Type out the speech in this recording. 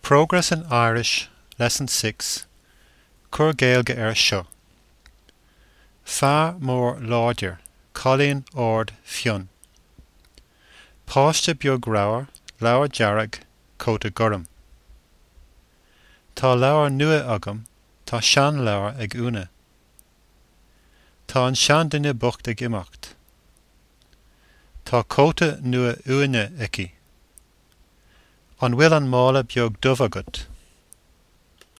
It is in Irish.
Progress in Irish, Lesson 6, Cuir Gaeilge air seo. Fear mór láidir, cailín ard fionn. Páiste beag ramhar, leabhar dearg, cóta gorm. Tá leabhar nua agam, tá seanleabhar ag Úna. Tá an seanduine bocht ag imeacht. Tá cóta nua uaine aici. An bhfuil an mála beag dubh agat?